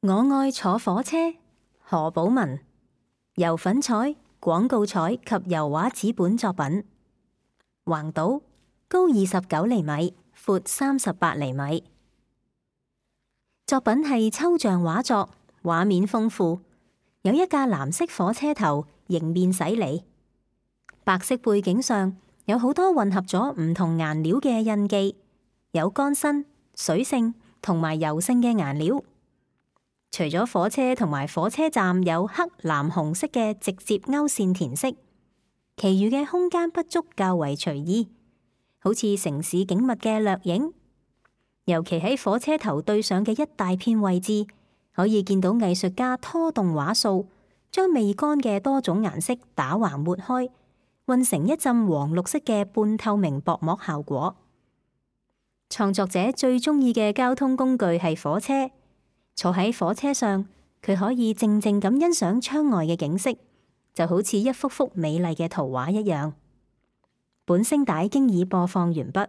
我愛坐火車，何寶文。由粉彩、廣告彩及油畫紙本作品。橫島，高29厘米，闊38厘米。作品係抽象畫作，畫面豐富，有一架藍色火車頭迎面駛嚟，白色背景上有好多混合咗唔同顏料嘅印記，有乾身、水性同埋油性嘅顏料。除咗火車同埋火車站有黑、藍、紅色嘅直接勾線填色，其餘嘅空間不足較為隨意，好似城市景物嘅掠影。尤其喺火車頭對上嘅一大片位置，可以見到藝術家拖動畫掃，將未乾嘅多種顏色打橫抹開，混成一陣黃綠色嘅半透明薄膜效果。創作者最中意嘅交通工具係火車。坐喺火車上，佢可以靜靜咁欣賞窗外嘅景色，就好似一幅幅美麗嘅圖畫一樣。本聲帶經已播放完畢。